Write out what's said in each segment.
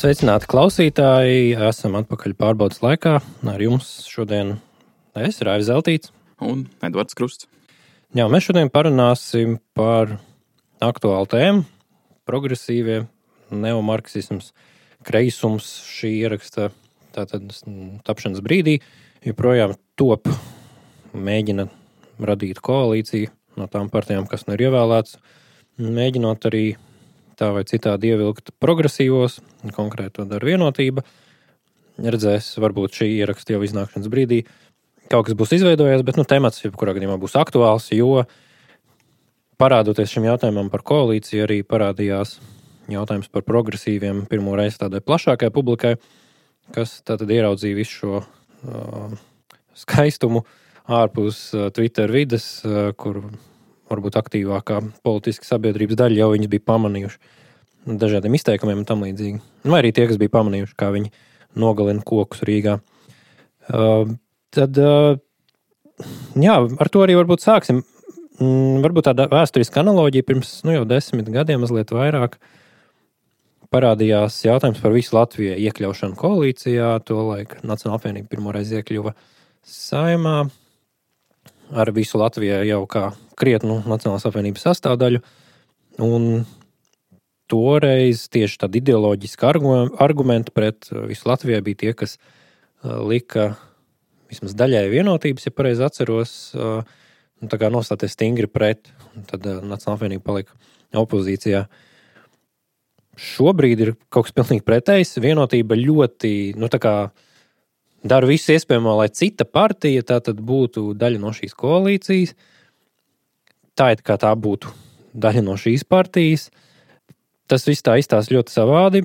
Sveicināti klausītāji, esam atpakaļ pārbaudas laikā. Ar jums šodien es, Raivis Zeltīts. Un Edvards Krusts. Jā, mēs šodien parunāsim par aktuālu tēmu - progresīvie, neomarksisms, kreisums šī ieraksta tātad tapšanas brīdī. Joprojām top mēģina radīt koalīciju no tām partijām, kas nu ir ievēlēts, mēģinot arī tā vai citādi ievilkt progresīvos, konkrēti to dara Vienotība. Redzēs, varbūt šī ieraksta jau iznākšanas brīdī kaut kas būs izveidojies, bet temats jebkurā gadījumā būs aktuāls, jo parādoties šim jautājumam par koalīciju, arī parādījās jautājums par progresīviem pirmo reizi tādai plašākai publikai, kas tātad ieraudzīja visu šo skaistumu ārpus Twitter vides, kur varbūt aktīvākā politiska sabiedrības daļa jau viņas bija pamanījuši dažādiem izteikumiem un tam līdzīgi. Vai arī tie, kas bija pamanījuši, kā viņi nogalina kokus Rīgā. Tad, jā, ar to arī varbūt sāksim. Varbūt tāda vēsturiska analoģija pirms jau 10 gadiem, mazliet vairāk, parādījās jautājums par visu Latviju iekļaušanu koalīcijā. Tolaik Nacionāla apvienība pirmoreiz iekļuva Saeimā ar visu Latviju jau kā krietnu Nacionālās apvienības sastāvdaļu. Un toreiz tieši tādi ideoloģiski argumenti pret visu Latviju bija tie, kas lika vismaz daļai Vienotības, ja pareizi atceros, tā kā nostāties stingri pret, un tad Nacionālā apvienība palika opozīcijā. Šobrīd ir kaut kas pilnīgi pretējs. Vienotība ļoti, tā kā dara visu iespējamo, lai cita partija tā tad būtu daļa no šīs koalīcijas. Tā it kā tā būtu daļa no šīs partijas. Tas viss tā izstāsta ļoti savādi.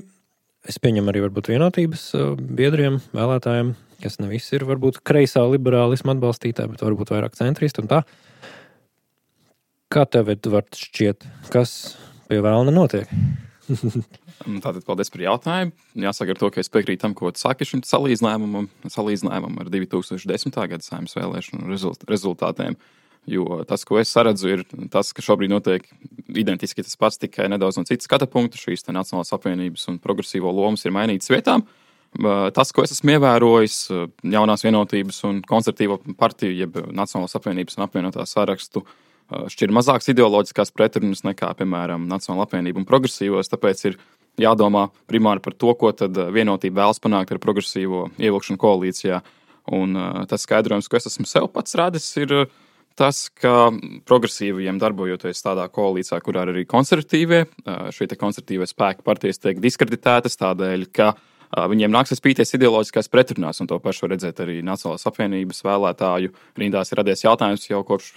Es pieņemu arī varbūt Vienotības biedriem, vēlētājiem, kas ne visi ir varbūt kreisā liberālisma atbalstītāji, bet varbūt vairāk centristi un tā. Kā tev, Edvard, šķiet, kas pie vēlna notiek? Tātad paldies par jautājumu. Jāsaka ar to, ka es piekrītu tam, ko tu saki šim salīdzinājumam ar 2010. Gada Saeimas vēlēšanu rezultātiem. Jo tas, ko es saredzu, ir tas, ka šobrīd notiek identiski tas pats, tikai nedaudz no citas skata punkta. Šīs Nacionālās apvienības un progresīvo lomas ir mainītas vietām. Tas, ko es esmu ievērojis, jaunās Vienotības un konservatīvo partiju, jeb Nacionālās apvienības un apvienotā sarakstu, šķir mazākas ideoloģiskās pretrunas nekā, piemēram, Nacionālā apvienība un progresīvos, tāpēc ir jādomā primāri par to, ko tad Vienotība vēlas panākt ar progresīvo ievilkšanu koalīcijā. Un tas skaidrojums, ko es esmu sev pats radis, ir tas, ka progresīviem darbojoties tādā koalīcijā, kurā ir arī konservatīvie, šie konservatīvie spēki partijas tiek diskreditētas tādēļ, ka viņiem nāksies pīties ideoloģiskās pretrunās, un to pašu var redzēt arī Nacionālās apvienības vēlētāju rindās ir radies jautājums jau kopš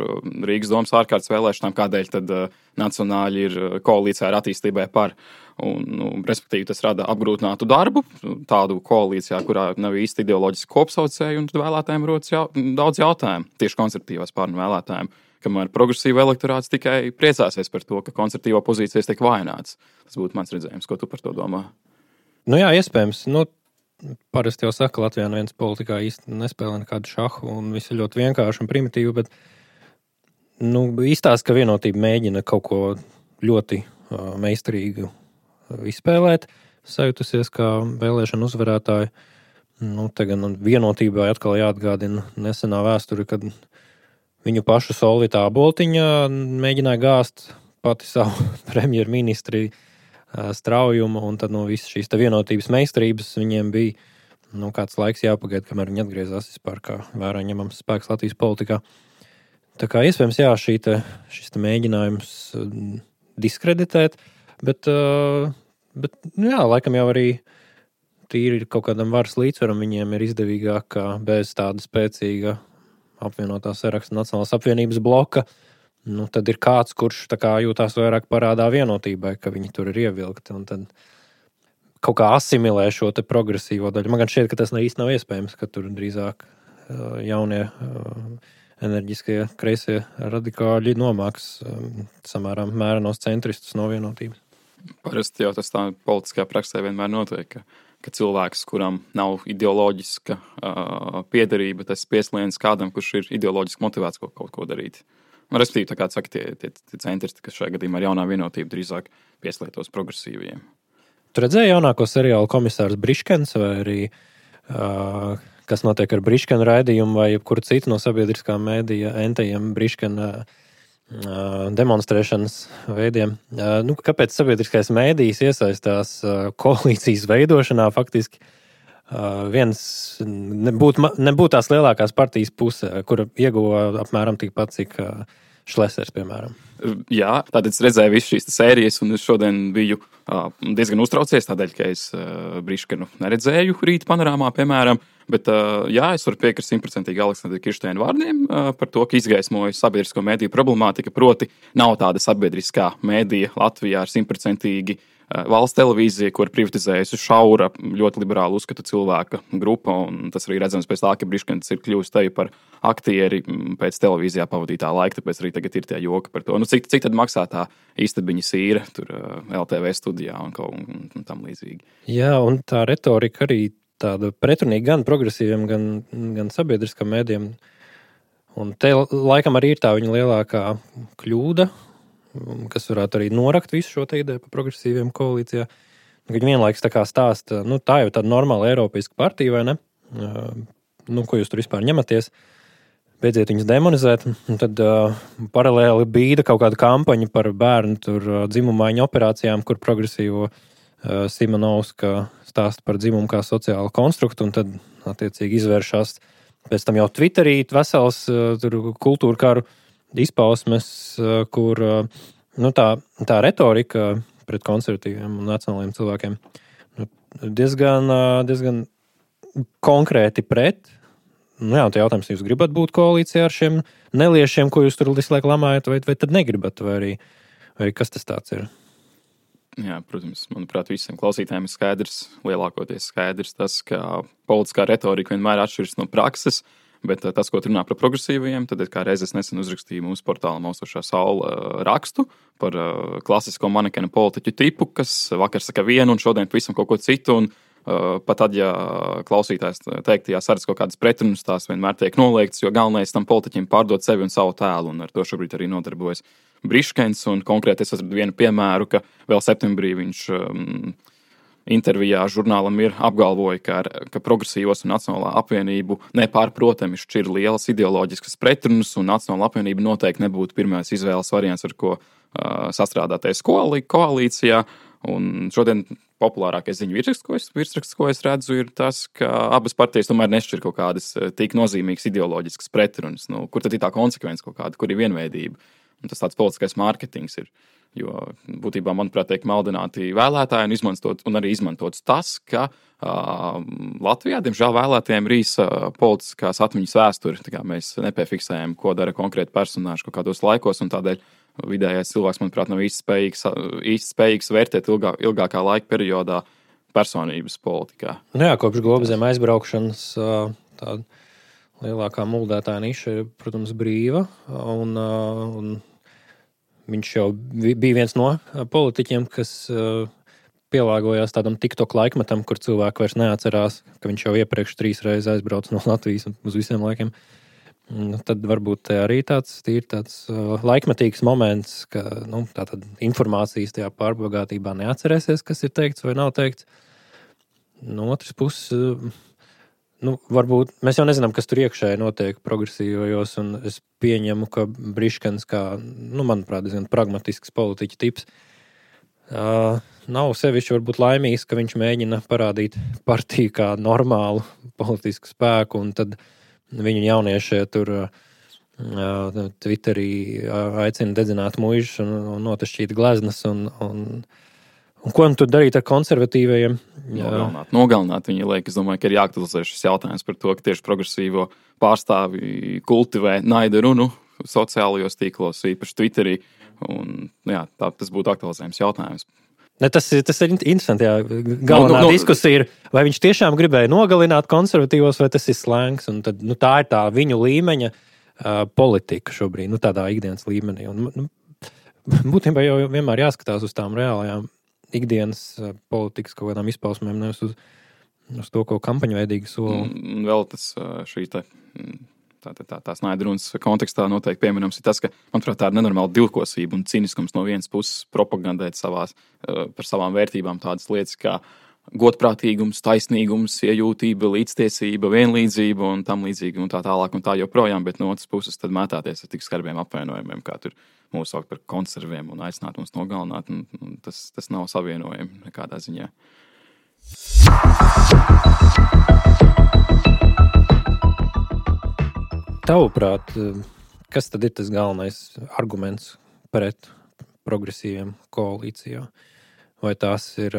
Rīgas domas ārkārtas vēlēšanām, kādēļ tad nacionāļi ir koalīcijā ar attīstībai par. Un, respektīvi, tas rada apgrūtinātu darbu, tādu koalīcijā, kurā nav īsti ideoloģiski kopsaucēji, un tad vēlētājiem rodas daudz jautājumu, tieši konservatīvās pārnu vēlētājiem, kamēr progresīva elektorāts tikai priecāsies par to, ka konservatīvā pozīcijas tiek vājināts. Tas būtu mans redzējums, ko tu par to domā? Jā, iespējams. Parasti jau saka, Latvijā neviens politikā īsti nespēlē nekādu šahu, un viss ir ļoti vienkārši un primitīvi, bet izstāsta, ka Vienotība mēģina kaut ko ļoti meistarīgu izspēlēt, sajutusies kā vēlēšana uzvarētāji. Te gan Vienotībai atkal jāatgādina nesenā vēsture, kad viņu pašu Solvita Boltiņa mēģināja gāzt pati savu premjerministri straujumu, un tad visas šīs Vienotības meistarības viņiem bija kāds laiks jāpagaida, kamēr viņi atgriezās vispār kā vērā ņemams spēks Latvijas politikā. Tā kā iespējams, šis mēģinājums diskreditēt, bet laikam jau arī tīri kaut kādam varas līdzsvaram viņiem ir izdevīgāk, kā bez tāda spēcīga apvienotā saraksta Nacionālās apvienības bloka. Tad ir kāds, kurš tā kā jūtās vairāk parādā Vienotībai, ka viņi tur ir ievilkti, un tad kaut kā asimilē šo te progresīvo daļu. Man gan šķiet, ka tas īsti nav iespējams, ka tur drīzāk jaunie enerģiskie kreisie radikāļi nomāks samērā mērenos centristus no Vienotības. Parasti jau tas tā politiskajā praksē vienmēr notiek, ka cilvēks, kuram nav ideoloģiska piederība, tas pieslēdz kādam, kurš ir ideoloģiski motivēts kaut ko darīt. Respektīvi, tā kā saka, tie centristi, kas šajā gadījumā ar jaunā Vienotību drīzāk pieslēgtos progresīviem. Tu redzēji jaunāko seriālu Komisārs Briškens vai arī kas notiek ar Briškena raidījumu vai jebkuru citu no sabiedriskā mēdīja entajiem Briškena demonstrēšanas veidiem. Kāpēc sabiedriskais mēdījis iesaistās koalīcijas veidošanā faktiski viens nebūtu tās lielākās partijas pusē, kura ieguva apmēram tikpat, cik Šlesers, piemēram. Jā, tātad es redzēju visu šīs sērijas, un es šodien biju diezgan uztraucies, tādēļ, ka es Briškenu neredzēju rīta panorāmā, piemēram. Bet, jā, es varu piekrist 100% Aleksandra Kirsteina vārdiem par to, ka izgaismoja sabiedrisko mēdīju problemātika. Proti, nav tāda sabiedriskā mēdīja Latvijā ar 100% valsts televīzija, kur privatizējusi šaura, ļoti liberālu uzskatu cilvēka grupa. Tas arī redzams pēc tā, ka Briškens ir kļuvis te par aktieri pēc televīzijā pavadītā laika, tāpēc arī tagad ir tie joki par to. Cik tad maksā tā istabiņa sīra tur LTV studijā un tam līdzīgi. Jā, un tā retorika arī tāda pretrunīga gan progresīviem, gan sabiedriskam mēdījiem. Un te laikam arī ir tā viņa lielākā kļūda, kas varētu arī norakt visu šo te ideju par progresīviem koalīcijā. Viņi vienlaiks tā kā stāsta, tā jau tāda normāla eiropeiska partija, vai ne? Ko jūs tur vispār ņematies? Beidziet viņus demonizēt. Un tad paralēli bīda kaut kāda kampaņa par bērnu tur dzimumaiņu operācijām, kur progresīvo Simonovska stāsta par dzimumu kā sociālu konstruktu, un tad, attiecīgi, izvēršas pēc tam jau Twitterī vesels kultūra karu izpausmes, kur tā retorika pret konservatīviem un nacionāliem cilvēkiem diezgan konkrēti pret. Jā, un jautājums, jūs gribat būt koalīcijā ar šiem neliešiem, ko jūs tur visu laiku lamājat, vai tad negribat, vai arī kas tas tāds ir? Jā, protams, manuprāt, visiem klausītājiem ir skaidrs, lielākoties skaidrs tas, ka politiskā retorika vienmēr atšķiras no prakses, bet tas, ko runā par progresīvajiem, tad kā reiz es nesen uzrakstīju mūsu portālā Maustošā saule rakstu par klasisko manekena politiķu tipu, kas vakar saka vienu un šodien pavisam kaut ko citu, un pat tad, ja klausītājs teiktajā saredz kaut kādas pretrunas, tās vienmēr tiek noliegtas, jo galvenais tam politiķim pārdot sevi un savu tēlu, un ar to šobrīd arī nodarbojas Briškens, un konkrēti es esmu vienu piemēru, ka vēl septembrī viņš intervijā žurnālam ir apgalvoja, ka progresīvos un Nacionālā apvienību nepārprotami šķir lielas ideoloģiskas pretrunas, un Nacionālā apvienība noteikti nebūtu pirmais izvēles variants, ar ko sastrādāties koalīcijā. Un šodien populārākais ziņu virsraksts, ko es redzu, ir tas, ka abas partijas tomēr nešķir kaut kādas tik nozīmīgas ideoloģiskas pretrunas. Kur tad ir tā konsekvence kaut kāda, kur ir vienveidība? Un tas tāds politiskais mārketings ir. Jo būtībā, manuprāt, tiek maldināti vēlētāji un arī izmantots tas, ka Latvijā, diemžēl, vēlētājiem rīs politiskās atmiņas vēsturi. Tā kā mēs nepiefiksējam, ko dara konkrēti personāži kaut kādos laikos, un tādēļ vidējais cilvēks, manuprāt, nav īsti spējīgs vērtēt ilgākā laika periodā personības politikā. Jā, kopš globzem aizbraukšanas tāda lielākā muldētāja niša ir, protams, brīva, un viņš jau bija viens no politiķiem, kas pielāgojās tādam TikTok laikmetam, kur cilvēki vairs neatcerās, ka viņš jau iepriekš 3 reizes aizbrauca no Latvijas uz visiem laikiem. Tad varbūt arī tāds laikmetīgs moments, ka tātad informācijas tajā pārbagātībā neatcerēsies, kas ir teikts vai nav teikts. No otras puses, varbūt mēs jau nezinām, kas tur iekšēji notiek progresīvajos, un es pieņemu, ka Briškens kā, manuprāt, diezgan pragmatisks politiķa tips, nav sevišķi varbūt laimīgs, ka viņš mēģina parādīt partiju kā normālu politisku spēku, un tad viņu jauniešie tur Twitterī aicina dedzināt muižas un notašķīt gleznas, un ko tur darīt ar konservatīvajiem? Nogalināt viņa liek. Es domāju, ka ir jāaktualizē šis jautājums par to, ka tieši progresīvo pārstāvi kultivē naida runu sociālajos tīklos, īpaši Twitterī. Un, jā, tas būtu aktualizējums jautājums. Tas ir interesanti. Jā. Galvenā diskusija ir, vai viņš tiešām gribēja nogalināt konservatīvos, vai tas ir slēngs. Un tad, tā ir tā viņu līmeņa politika šobrīd, tādā ikdienas līmenī. Un, būtībā jau vienmēr jāskatās uz tām reālajām ikdienas politikas kaut kādām izpausmēm, nevis uz to, ko kampaņveidīgi sola. Vēl šī tā Snaiderunas kontekstā noteikti pieminams ir tas, ka, manuprāt, tā ir nenormāla divkosība un ciniskums no vienas puses propagandēt par savām vērtībām tādas lietas kā godprātīgums, taisnīgums, iejūtība, līdztiesība, vienlīdzība un tam līdzīgi un tā tālāk un tā joprojām, bet no otras puses tad mētāties ar tik skarbiem apvainojumiem, kā tur mūs saukt par konserviem un aicināt mums nogalināt, un tas nav savienojami nekādā ziņā. Tavuprāt, kas tad ir tas galvenais arguments pret progresīviem koalīcijā? Vai tās ir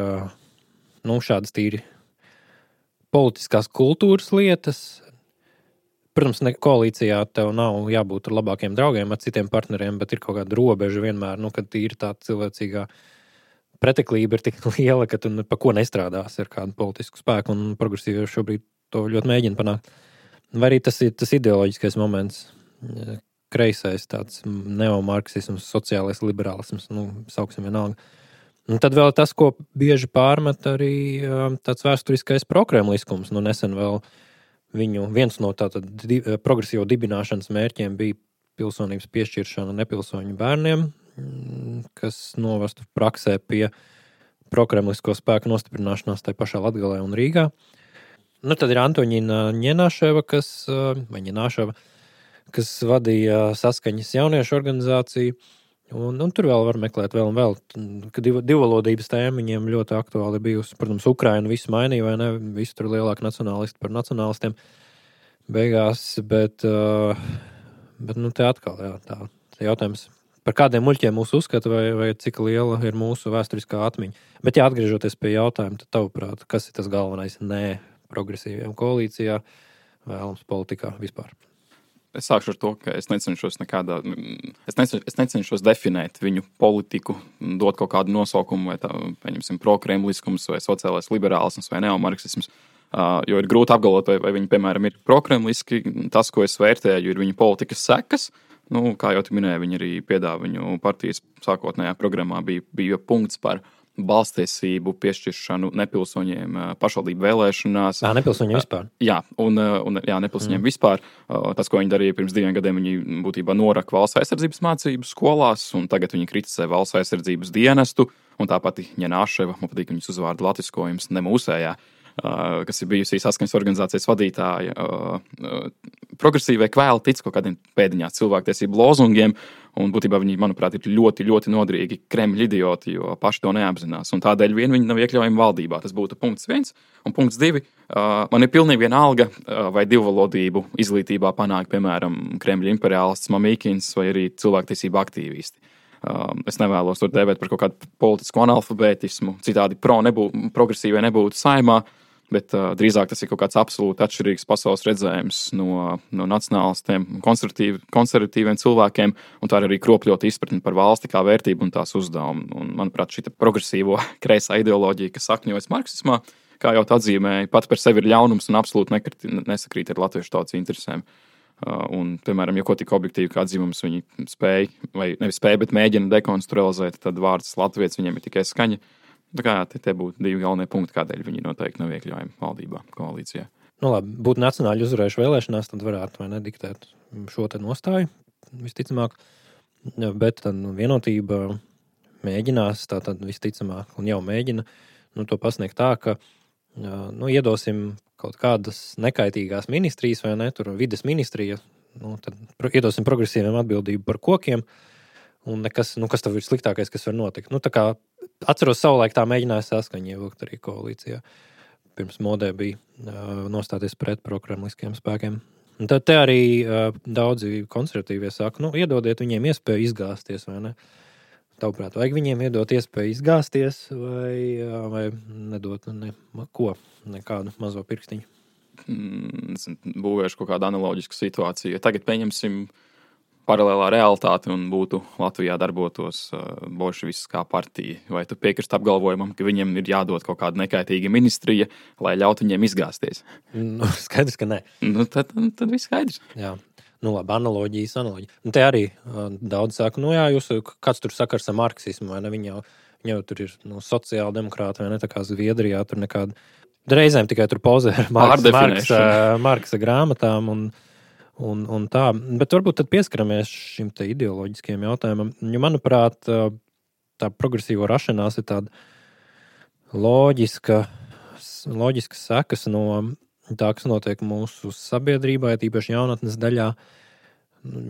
šādas tīri politiskās kultūras lietas? Protams, koalīcijā tev nav jābūt ar labākiem draugiem, ar citiem partneriem, bet ir kaut kāda robeža vienmēr, kad tīri tā cilvēcīgā preteklība ir tik liela, ka tu pa ko nestrādās ar kādu politisku spēku, un progresīvi šobrīd to ļoti mēģina panākt. Vai arī tas ir tas ideoloģiskais moments, kreisais tāds neomarksisms, sociālais liberālisms, sauksim vienalga. Un tad vēl tas, ko bieži pārmet arī tāds vēsturiskais prokremliskums. Nesen vēl viens no tātad progresīvo dibināšanas mērķiem bija pilsonības piešķiršana nepilsoņu bērniem, kas novestu praksē pie prokremlisko spēku nostiprināšanās tai pašā Latgalē un Rīgā. Tad ir Antoņina Ņenaševa, kas vadīja Saskaņas jauniešu organizāciju. Un tur vēl var meklēt vēl un vēl. Kad divvalodības tēma viņiem ļoti aktuāli bijusi. Protams, Ukraina visu mainīja, vai ne? Visi tur lielāki nacionālisti par nacionālistiem beigās. Bet te atkal, tā jautājums, par kādiem muļķiem mūs uzskata, vai cik liela ir mūsu vēsturiskā atmiņa. Bet atgriežoties pie jautājuma, tad tavuprāt, kas ir tas galvenais progresīviem koalīcijā, vēlams politikā vispār? Es sākšu ar to, ka es necenšos definēt viņu politiku, dot kaut kādu nosaukumu, vai tā, pieņemsim, prokremliskums, vai sociālais liberālisms, vai neomarksisms, jo ir grūti apgalvot, vai viņi, piemēram, ir prokremliski. Tas, ko es vērtēju, ir viņu politikas sekas. Kā jau tu minēji, viņi arī piedāvā viņu partijas sākotnējā programmā bija punkts par balstiesību piešķiršanu nepilsoņiem pašvaldību vēlēšanās. Nepilsoņiem vispār. Jā, nepilsoņiem vispār. Tas, ko viņi darīja pirms 2 gadiem, viņi būtībā noraka valsts aizsardzības mācību skolās, un tagad viņi kritizē valsts aizsardzības dienestu, un tāpat Ņenaševa, man patīk viņas uzvārdu latiskojums, ne mūsējā, kas ir bijusi Saskaņas organizācijas vadītāja. Progresīvai kvēli tic kaut kādiem pēdiņās cilvēktiesību lozungiem, un būtībā viņi, manuprāt, ir ļoti, ļoti nodrīgi Kremļa idioti, jo paši to neapzinās. Un tādēļ viņi nav iekļaujami valdībā. Tas būtu punkts 1. Un punkts 2. Man ir pilnīgi vienalga, vai divvalodību izglītībā panāk, piemēram, Kremļa imperiālists Mamīkins vai arī cilvēktiesību aktīvisti. Es nevēlos to dēvēt par kaut kādu politisku analfabētismu, citādi progresīvai nebūtu saimā, bet drīzāk tas ir kaut kāds absolūti atšķirīgs pasaules redzējums no nacionālistiem, konservatīviem cilvēkiem, un tā ir arī kropļota izpratne par valsti kā vērtību un tās uzdevumu. Un, manuprāt, šī progresīvo kreisā ideoloģija, kas sakņojas marksismā, kā jau atzīmēja, pat par sevi ir ļaunums un absolūti nesakrīt ar latviešu tautas interesēm. Un, piemēram, ja ko tik objektīvi kā dzimums viņi spēja, vai nevis spēja, bet mēģina dekonstrualizēt, tad vārds latvietis viņiem ir tikai skaņa. Tā kā tie būtu 2 galvenie punkti, kādēļ viņi noteikti nav iekļaujami valdībā, koalīcijā. Labi, būtu nacionāļi uzvarējuši vēlēšanās, tad varētu vai nediktēt šo te nostāju, visticamāk. Bet tad vienotība mēģinās, tātad visticamāk, un jau mēģina to pasniegt tā, ka iedosim kaut kādas nekaitīgās ministrijas, vai ne, tur vides ministrija, tad iedosim progresīviem atbildību par kokiem, un nekas, kas tev ir sliktākais, kas var notikt. Tā kā atceros savulaik tā mēģināja Saskaņa ievilkt arī koalīcijā. Pirms modē bija nostāties pret prokremliskiem spēkiem. Un tad te arī daudzi konservatīvie saka, iedodiet viņiem iespēju izgāzties, vai ne? Tavuprāt, vajag viņiem iedot iespēju izgāzties vai nedot nekādu mazo pirkstiņu? Būvēšu kaut kādu analoģisku situāciju. Tagad pieņemsim paralēlā realitāte un būtu Latvijā darbotos bolševiskā partija. Vai tu piekrist apgalvojumam, ka viņiem ir jādod kaut kāda nekaitīga ministrija, lai ļautu viņiem izgāzties? Skaidrs, ka nē. Tad viss skaidrs. Jā. Labi, analoģijas. Un te arī daudz saka, kāds tur sakars ar marksismu, vai ne? Viņi jau tur ir sociāla demokrāta, vai ne? Tā kā Zviedrijā tur nekāda. Reizēm tikai tur pozē ar Marksa grāmatām un tā. Bet varbūt tad pieskaramies šim te ideoloģiskajam jautājumam. Jo, manuprāt, tā progresīvo rašanās ir tāda loģiskas sekas no tā, kas notiek mūsu sabiedrībā, tīpaši jaunatnes daļā.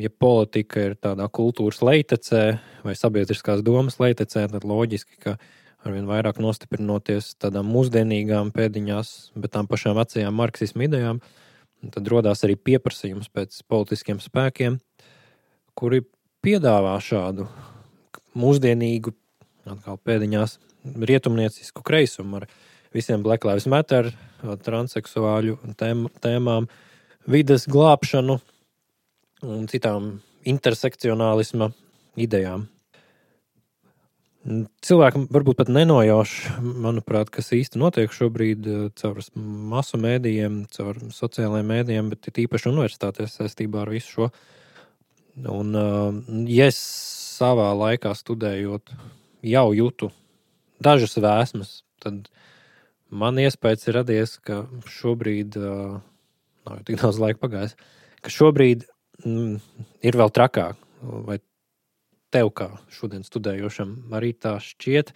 Ja politika ir tādā kultūras leitecē vai sabiedriskās domas leitecē, tad loģiski, ka arvien vairāk nostiprinoties tādām mūsdienīgām pēdiņās, bet tām pašām vecajām marksismu idejām, tad rodās arī pieprasījums pēc politiskiem spēkiem, kuri piedāvā šādu mūsdienīgu, atkal pēdiņās, rietumniecisku kreisumu ar visiem Black Lives Matter, transseksuāļu tēmām, vides glābšanu un citām intersekcionālisma idejām. Cilvēkam varbūt pat nenojauš, manuprāt, kas īsti notiek šobrīd caur masu mēdījiem, caur sociālajiem mēdījiem, bet ir īpaši universitātēs saistībā ar visu šo. Un, ja es savā laikā studējot jau jūtu dažas vēsmas, tad man iespējas ir radies, ka šobrīd, nav jau tik daudz laika pagājis, ka šobrīd ir vēl trakāk, vai tev kā šodien studējošam arī tā šķiet,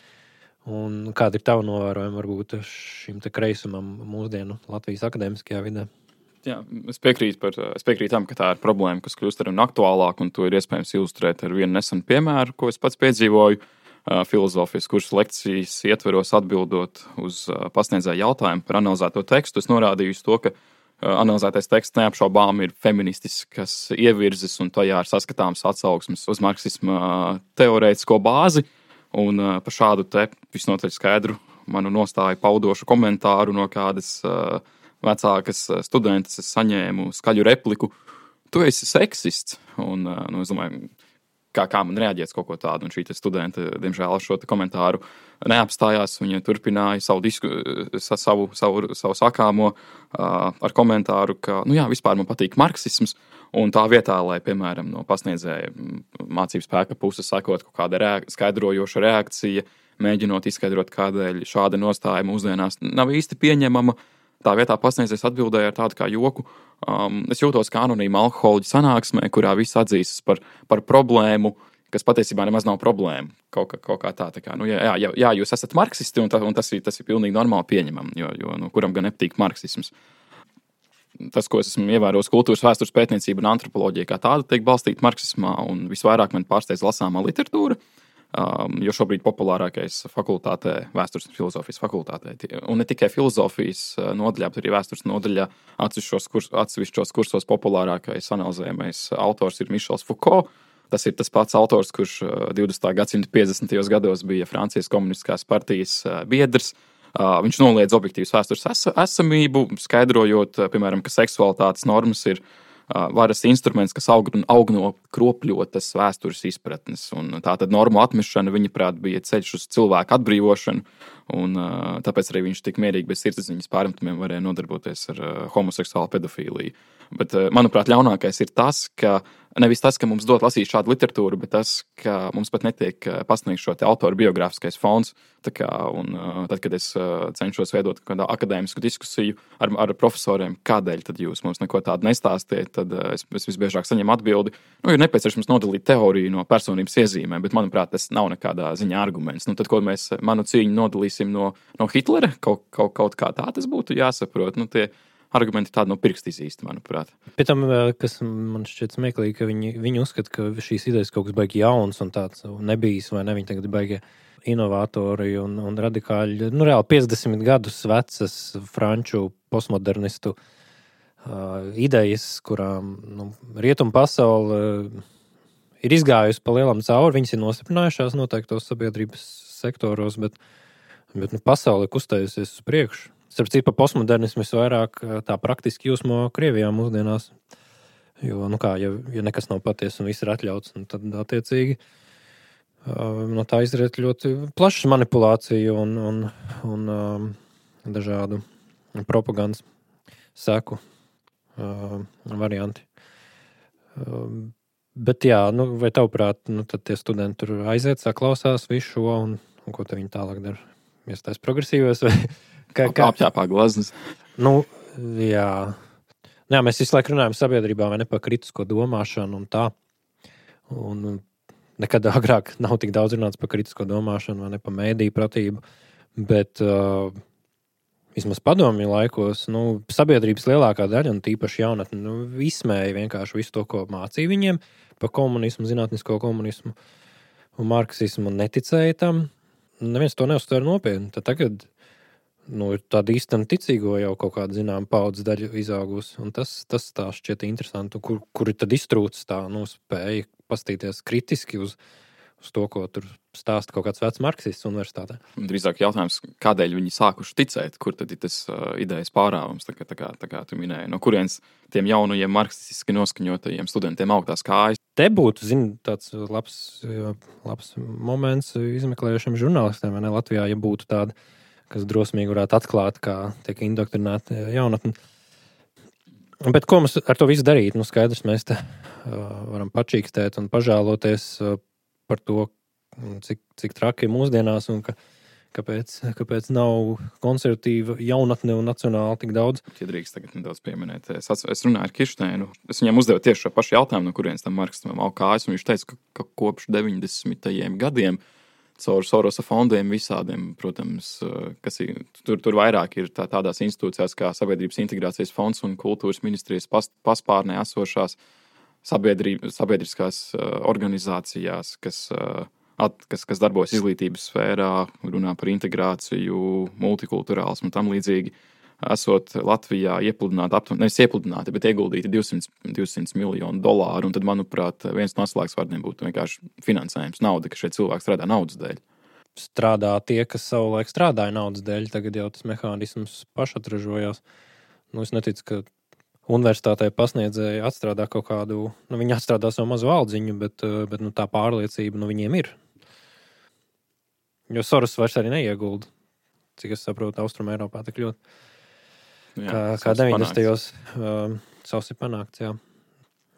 un kāda ir tava novērojuma varbūt šim te kreisumam mūsdienu Latvijas akadēmiskajā vidē? Jā, es piekrītu tam, ka tā ir problēma, kas kļūst arvien aktuālāk, un to ir iespējams ilustrēt ar vienu nesenu piemēru, ko es pats piedzīvoju filozofijas kursu lekcijas ietveros atbildot uz pasniedzēju jautājumu par analizēto tekstu. Es norādīju uz to, ka analizētais teksts neapšaubām ir feministiskas ievirzes, un tajā ir saskatāms atsauksmes uz marksisma teorētisko bāzi, un par šādu te visnotaļ skaidru manu nostāju paudošu komentāru no kādas vecākas studentes es saņēmu skaļu repliku: "Tu esi seksists", un es domāju, kā man reaģēt kaut ko tādu, un šī studente, diemžēl, šo komentāru neapstājās. Viņa turpināja savu sakāmo ar komentāru, ka, vispār man patīk marksisms, un tā vietā, lai, piemēram, no pasniedzēja mācību spēka puses sakot kaut kāda skaidrojoša reakcija, mēģinot izskaidrot, kādēļ šāda nostāja mūsdienās nav īsti pieņemama, tā vietā pasniedzējs atbildēja ar tādu kā joku: es jūtos kā anonīma alkoholiķa sanāksmē, kurā viss atzīstas par problēmu, kas patiesībā nemaz nav problēma. Kaut kā tā kā, jā, jūs esat marksisti, un tas ir pilnīgi normāli pieņemam, jo kuram gan nepatīk marksisms. Tas, ko es esmu ievērojis kultūras vēstures pētniecība un antropoloģija, kā tāda tiek balstīta marksismā, un visvairāk man pārsteidz lasāmā literatūra, jo šobrīd populārākais fakultātē, vēstures un filozofijas fakultātē, un ne tikai filozofijas nodaļā, bet arī vēstures nodaļā atsevišķos kursos populārākais analizējamais autors ir Mišels Foucault. Tas ir tas pats autors, kurš 20. gadsimta 50. gados bija Francijas komunistiskās partijas biedrs. Viņš noliedz objektīvas vēstures esamību, skaidrojot, piemēram, ka seksualitātes normas ir varas instruments, kas aug no kropļotas vēstures izpratnes. Un tā tad normu atmešana, viņaprāt, bija ceļš uz cilvēku atbrīvošanu, un tāpēc arī viņš tik mierīgi bez sirdsapziņas pārmetumiem varēja nodarboties ar homoseksuālu pedofīliju. Bet, manuprāt, ļaunākais ir tas, ka nevis tas, ka mums dod lasīt šādu literatūru, bet tas, ka mums pat netiek pasniegts šo te autoru biogrāfiskais fons. Tad, kad es cenšos veidot kādu akadēmisku diskusiju ar profesoriem, kādēļ tad jūs mums neko tādu nestāstiet, tad es visbiežāk saņemu atbildi: ir nepieciešams nodalīt teoriju no personības iezīmēm, bet, manuprāt, tas nav nekādā ziņā arguments. Tad, ko mēs manu cīņu nodalīsim no Hitlera, kaut kā tā tas būtu jāsaprot. Tie argumenti tādi no pirksta izīsti, manuprāt. Pēc tam, kas man šķiet smieklīgi, ka viņi uzskata, ka šīs idejas kaut kas baigi jauns un tāds nebijis, vai ne, viņi tagad baigi inovatori un radikāļi. Reāli 50 gadus vecas franču postmodernistu idejas, kurām rietumu pasaule ir izgājusi pa lielam cauri, viņas ir nostiprinājušās noteiktos sabiedrības sektoros, bet pasaule kustējusies uz priekšu. Starp citu, pa postmodernismu vairāk tā praktiski jūsmo Krievijā mūsdienās. Jo, ja nekas nav patiesa un viss ir atļauts, tad attiecīgi no tā izriet ļoti plašas manipulācija un dažādu propagandas seku varianti. Bet jā, vai tavuprāt, tad tie studenti tur aiziet, saklausās visu šo, un ko te viņi tālāk dara? Iestājas progresīvos vai... Apķēpā glaznas. Jā. Jā, mēs visu laiku runājam sabiedrībā vai ne par kritisko domāšanu un tā. Un nekad agrāk nav tik daudz runāts par kritisko domāšanu vai ne par mēdīju pratību, bet vismaz padomju laikos, sabiedrības lielākā daļa, un tīpaši jaunatne, izsmēja vienkārši visu to, ko mācīja viņiem par komunismu, zinātnisko komunismu un marksismu, un neticēja tam. Neviens to neuztver nopietni. Tad tagad ir tāda īstenam ticīgo jau kaut kāda zināma paudzes daļa izaugusi, un tas tā šķiet interesanti, kur tad iztrūcis tā spēja pastīties kritiski uz to, ko tur stāsta kaut kāds vecs marksists universitātē. Drīzāk jautājums, kādēļ viņi sākuši ticēt, kur tad ir tas idejas pārāvums, tā kā tu minēji, no kurienes tiem jaunajiem marksistiski noskaņotajiem studentiem augtās kājas. Te būtu, tāds labs moments izmeklējušiem žurnālistiem, vai ne, Latvijā, ja būtu tāda, kas drosmīgi varētu atklāt, kā tiek indoktrinēta jaunatne. Bet ko mums ar to visu darīt? Skaidrs, mēs te varam pačīkstēt un pažēloties par to, cik traki ir mūsdienās un kāpēc nav konservatīva jaunatne un nacionāli tik daudz. Ja drīkst tagad nedaudz pieminēt. Es runāju ar Kirsteinu. Es viņam uzdevu tieši šo pašu jautājumu, no kurienes tam marksismam aug kājas, un viņš teica, ka kopš 90. gadiem caur Sorosa fondiem visādiem, protams, kas ir, tur vairāk ir tādās institūcijās kā Sabiedrības integrācijas fonds un kultūras ministrijas paspārnē esošās sabiedriskās organizācijās, kas darbojas izglītības sfērā, runā par integrāciju, multikulturālismu un tam līdzīgi, esot Latvijā nevis iepludināti, bet ieguldīti $200 miljonu, un tad, manuprāt, viens no atslēgas būtu vienkārši finansējums, nauda, ka šie cilvēki strādā naudas dēļ. Strādā tie, kas savulaik strādāja naudas dēļ, tagad jau tas mehānisms pašatražojās. Es neticu, ka universitātē pasniedzēji atstrādā kaut kādu, viņi atstrādā savu mazu aldziņu, bet tā pārliecība viņiem ir. Jo Soros vairs arī neiegulda, cik es saprotu, Austrum Eiropā tik ļoti. Kā 90. Savs ir panākts, jā.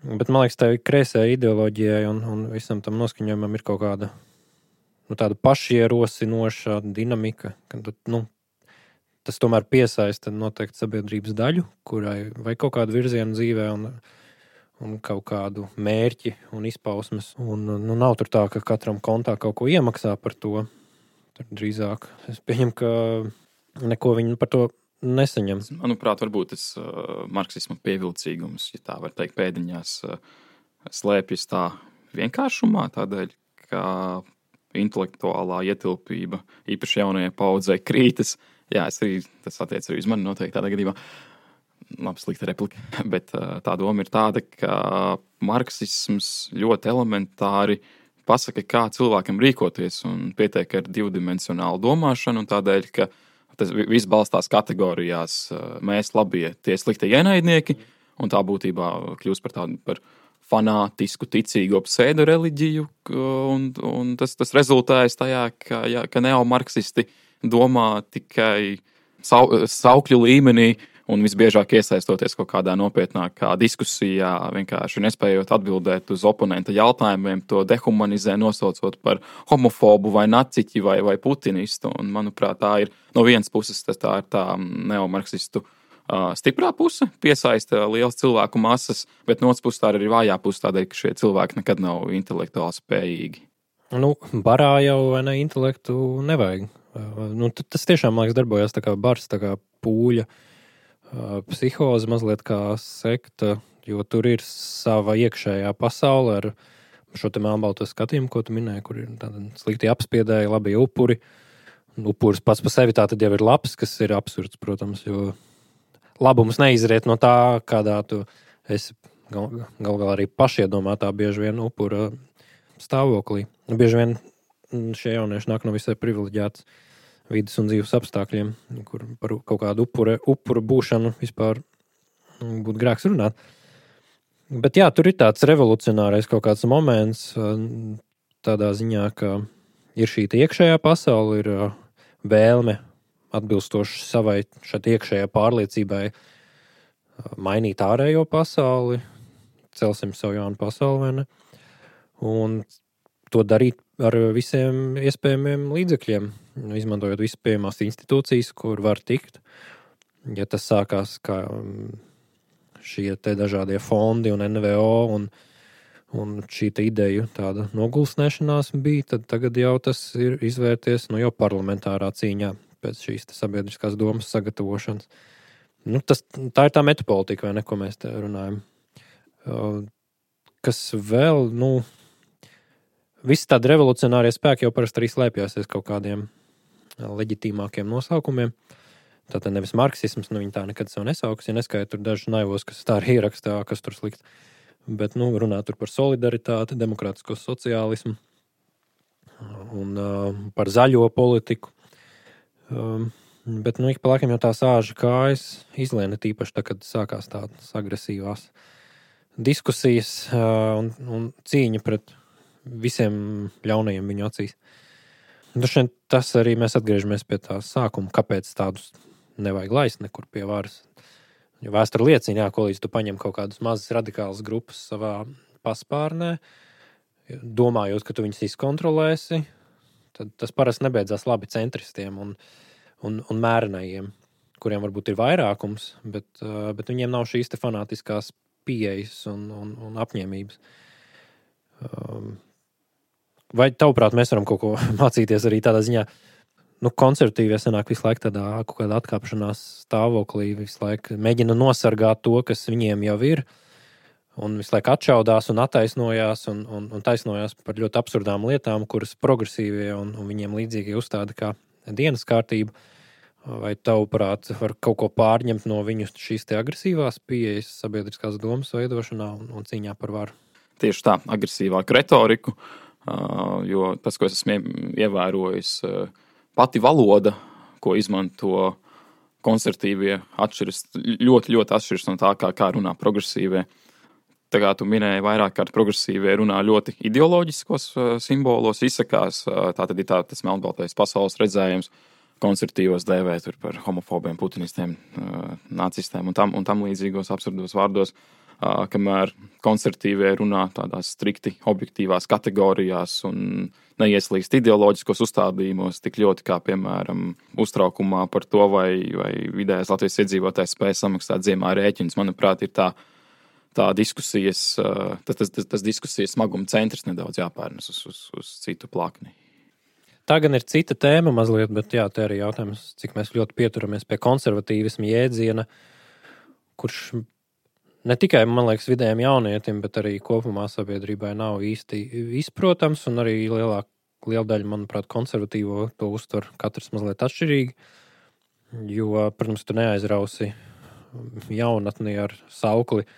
Bet man liekas, tā kreisē ideoloģijai un visam tam noskaņojumam ir kaut kāda tāda pašierosinoša dinamika, ka tas tomēr piesaista noteikti sabiedrības daļu, kurai vai kaut kādu virzienu dzīvē un kaut kādu mērķi un izpausmes. Un nav tur tā, ka katram kontā kaut ko iemaksā par to. Tur drīzāk es pieņemu, ka neko viņi par to nesaņem. Manuprāt, varbūt tas marksisma pievilcīgums, ja tā var teikt, pēdiņās slēpjas tā vienkāršumā, tādēļ, ka intelektuālā ietilpība īpaši jaunajai paudzei krītas. Jā, tas attiec arī uz mani noteikti tādā gadījumā. Labi, slikta replika. Bet tā doma ir tāda, ka marksisms ļoti elementāri pasaka, kā cilvēkam rīkoties, un pietiek ar divdimensionālu domāšanu, un tādēļ, ka tas viss balstās kategorijās mēs labie, tie sliktie ienaidnieki, un tā būtībā kļūst par tādu par fanātisku, ticīgo pseido-reliģiju, un tas rezultējas tajā, ka neomarksisti domā tikai saukļu līmenī un visbiežāk iesaistoties kaut kādā nopietnākā diskusijā, vienkārši nespējot atbildēt uz oponenta jautājumiem, to dehumanizē, nosaucot par homofobu vai naciķi vai putinistu. Un, manuprāt, tā ir no vienas puses tā ir tā neomarksistu stiprā puse, piesaista liels cilvēku masas, bet no otras puses tā ir arī vājā puse, tādēļ, ka šie cilvēki nekad nav intelektuāli spējīgi. Barā jau vai ne intelektu nevajag. Tas tiešām, man liekas, darbojās tā kā bars, tā kā pūļa psihoze, mazliet kā sekta, jo tur ir sava iekšējā pasaule ar šo te melnbalto skatījumu, ko tu minēji, kur ir tādi slikti apspiedēji, labi upuri. Upuris pats pa sevi tā tad jau ir labs, kas ir absurds, protams, jo labums neizriet no tā, kādā tu esi galvā arī pašiedomātā bieži vien upura stāvoklī. Bieži vien šie jaunieši nāk no visai privileģētas vidas un dzīves apstākļiem, kur par kaut kādu upuru būšanu vispār būtu grēks runāt. Bet jā, tur ir tāds revolucionārais kaut kāds moments tādā ziņā, ka ir šī iekšējā pasaule, ir vēlme atbilstoši savai šai iekšējai pārliecībai mainīt ārējo pasauli, celsim savu jaunu pasauli, vai ne? Un to darīt ar visiem iespējamiem līdzekļiem, izmantojot visas pieejamās institūcijas, kur var tikt. Ja tas sākās kā šie te dažādie fondi un NVO un šī te ideju tāda nogulsnēšanās bija, tad tagad jau tas ir izvērties jau parlamentārā cīņā pēc šīs sabiedriskās domas sagatavošanas. Tā ir tā metapolitika, vai ne, ko mēs te runājam. Kas vēl, visi tādi revolucionārie spēki jau parasti arī slēpjās aiz kaut kādiem leģitīmākiem nosaukumiem. Tātad nevis marksisms, viņi tā nekad sev nesauks, ja neskaita tur dažus naivos, kas tā arī ierakstā, kas tur slikts. Bet, runā tur par solidaritāti, demokrātisko sociālismu un par zaļo politiku. Bet, ik pa laikam jau tā sāža kājas izlēna tīpaši tā, kad sākās tādas agresīvās diskusijas un cīņa pret visiem ļaunajiem viņu acīs. Droši vien tas arī mēs atgriežamies pie tā sākuma, kāpēc tādus nevajag laist nekur pie varas. Jo vēsture liecina, ko līdz tu paņem kaut kādas mazas radikālas grupas savā paspārnē, domājot, ka tu viņus izkontrolēsi, tad tas parasti nebeidzās labi centristiem un mērenajiem, kuriem varbūt ir vairākums, bet viņiem nav šīs te fanātiskās pieejas un apņēmības. Vai tavuprāt, mēs varam kaut ko mācīties arī tādā ziņā? Konservatīvie sanāk visu laiku tādā kaut kādā atkāpšanās stāvoklī, visu laiku mēģina nosargāt to, kas viņiem jau ir, un visu laiku atšaudās un attaisnojās un taisnojās par ļoti absurdām lietām, kuras progresīvie un viņiem līdzīgi uzstāda kā dienas kārtību. Vai tavuprāt var kaut ko pārņemt no viņu šīs te agresīvās pieejas sabiedriskās domas veidošanā un cīņā par varu? Tieši tā, agresīvāku retoriku, jo tas, ko es esmu ievērojis, pati valoda, ko izmanto konservatīvie, ļoti, ļoti atšķiras no tā, kā runā progresīvie. Tā kā tu minēji vairāk kārt, progresīvie runā ļoti ideoloģiskos simbolos, izsakās, tā tad ir tas melnbaltais pasaules redzējums, konservatīvos dēvē tur par homofobiem, putinistiem, nacistiem un tam līdzīgos absurdos vārdos, kamēr konservatīvie runā tādās strikti objektīvās kategorijās un neieslīgst ideoloģiskos uzstādījumos tik ļoti kā, piemēram, uztraukumā par to, vai vidējais Latvijas iedzīvotājs spēj samaksāt ziemā rēķinus. Manuprāt, ir tā diskusijas, tas diskusijas smaguma centrs nedaudz jāpērnas uz citu plakni. Tā gan ir cita tēma mazliet, bet jā, te arī jautājums, cik mēs ļoti pieturamies pie konservatīvisma jēdziena, kurš ne tikai, man liekas, vidējiem jaunietim, bet arī kopumā sabiedrībai nav īsti izprotams, un arī liela daļa, manuprāt, konservatīvo to uztver katrs mazliet atšķirīgi, jo, protams, tu neaizrausi jaunatni ar saukli,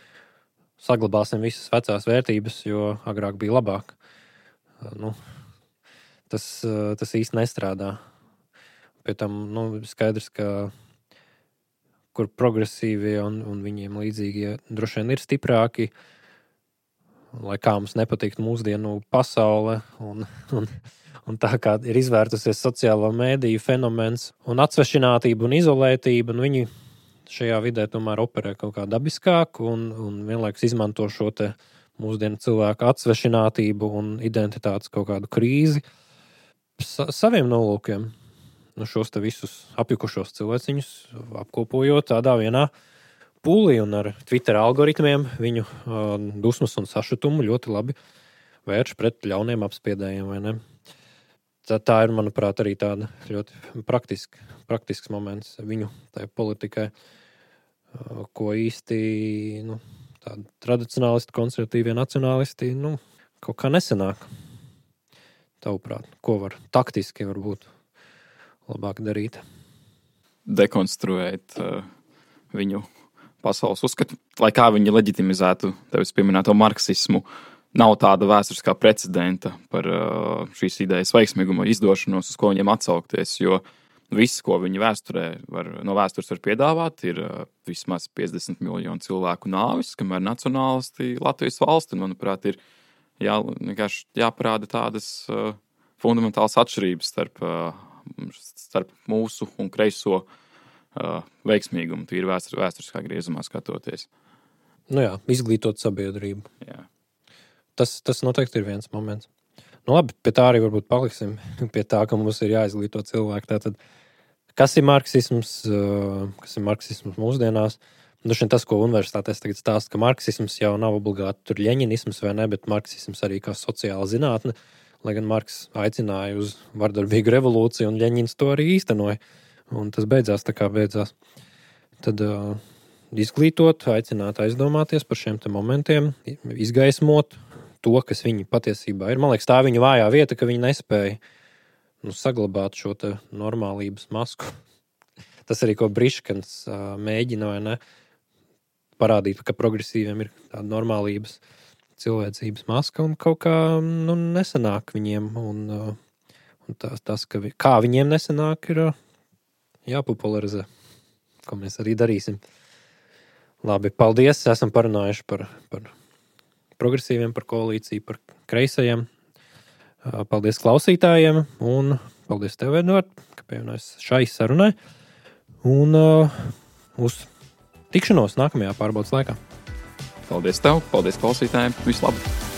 saglabāsim visas vecās vērtības, jo agrāk bija labāk. Tas īsti nestrādā. Pie tam, skaidrs, ka kur progresīvie un viņiem līdzīgie droši vien ir stiprāki, lai kā mums nepatīk mūsdienu pasaule un tā kā ir izvērtusies sociālo mēdīju fenomens un atsvešinātība un izolētība, un viņi šajā vidē tomēr operē kaut kā dabiskāk un vienlaikus izmanto šo te mūsdienu cilvēku atsvešinātību un identitātes kaut kādu krīzi saviem nolūkiem. Šos te visus apjukušos cilvēciņus apkopojot tādā vienā pūlī un ar Twitter algoritmiem viņu dusmas un sašutumu ļoti labi vērš pret ļauniem apspiedējiem, vai ne? Tā ir, manuprāt, arī tāda ļoti praktisks moments viņu tai politikai, ko īsti tādi tradicionālisti, konservatīvie nacionālisti kaut kā nesanāk. Tavuprāt, ko var taktiski varbūt labāk darīt? Dekonstruēt viņu pasaules uzskatu, lai kā viņi leģitimizētu tevis pieminēto marksismu. Nav tāda vēsturiskā precedenta par šīs idejas veiksmīgumu izdošanos, uz ko viņiem atsaukties, jo viss, ko viņi no vēstures var piedāvāt, ir vismaz 50 miljonu cilvēku nāvis, kamēr nacionālisti Latvijas valsti, manuprāt, ir vienkārši jāparāda tādas fundamentālas atšķirības starp mūsu un kreiso veiksmīgumu, tīri vēsturiskā griezumā skatoties. Izglītot sabiedrību. Jā. Tas noteikti ir viens moments. Labi, pie tā arī varbūt paliksim, pie tā, ka mums ir jāizglīto cilvēki. Tātad, kas ir marksisms mūsdienās? Tas, ko universitātēs tagad stāsta, ka marksisms jau nav obligāti tur ļeņinisms vai ne, bet marksisms arī kā sociāla zinātne, lai gan Marks aicināja uz vardarbīgu revolūciju un Ļeņins to arī īstenoja. Un tas beidzās tā kā beidzās. Tad izglītot, aicināt aizdomāties par šiem te momentiem, izgaismot to, kas viņi patiesībā ir. Man liekas, tā viņa vājā vieta, ka viņi nespēja saglabāt šo te normālības masku. Tas arī, ko Briškans mēģina, vai ne, parādīt, ka progresīviem ir tāda normālības cilvēcības maska un kaut kā nesanāk viņiem. Un tas kā viņiem nesanāk, ir jāpopularizē, ko mēs arī darīsim. Labi, paldies, esam parunājuši par progresīviem, par koalīciju, par kreisajiem. Paldies klausītājiem un paldies tev, Edvard, ka pievienojies šai sarunai. Un uz tikšanos nākamajā pārbaudas laikā. Paldies tev, paldies klausītājiem, visu labu!